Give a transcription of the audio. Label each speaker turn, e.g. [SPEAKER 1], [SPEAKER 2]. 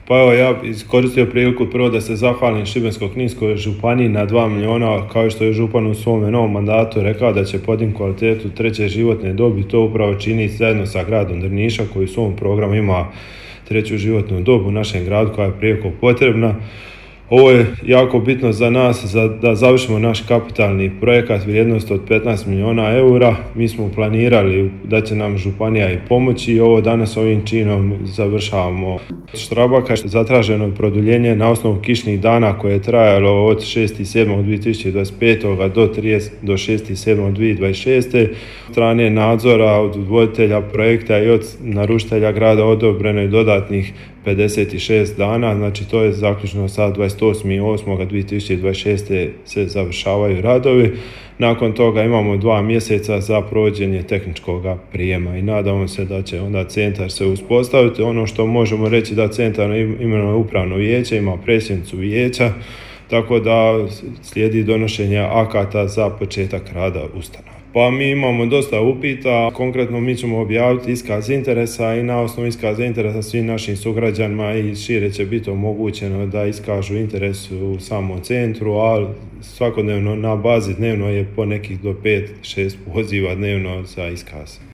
[SPEAKER 1] Pa evo, ja iskoristio priliku prvo da se zahvalim Šibensko-kninskoj županiji na 2 milijuna, kao što je župan u svome novom mandatu rekao da će podignuti kvalitetu treće životne dobi. To upravo čini zajedno sa gradom Drniša koji u svom programu ima treću životnu dobu u našem gradu koja je prijeko potrebna. Ovo je jako bitno za nas da završimo naš kapitalni projekat vrijednost od 15 milijuna eura. Mi smo planirali da će nam županija i pomoći i ovo danas ovim činom završavamo. Štrabaka je zatraženo produljenje na osnovu kišnih dana koje je trajalo od 6.7.2025. do 6.7.2026. Od strane nadzora, od voditelja projekta i od naručitelja grada odobreno je dodatnih 56 dana, znači to je zaključno sa 28.8.2026. se završavaju radovi. Nakon toga imamo 2 mjeseca za provođenje tehničkog prijema i nadamo se da će onda centar se uspostaviti. Ono što možemo reći da centar imenuje upravno vijeće, ima predsjednicu vijeća, tako da slijedi donošenje akata za početak rada ustanova. Pa mi imamo dosta upita, konkretno mi ćemo objaviti iskaz interesa i na osnovu iskaza interesa svim našim sugrađanima i šire će biti omogućeno da iskažu interes u samom centru, a svakodnevno na bazi dnevno je po nekih do 5-6 poziva dnevno za iskaz.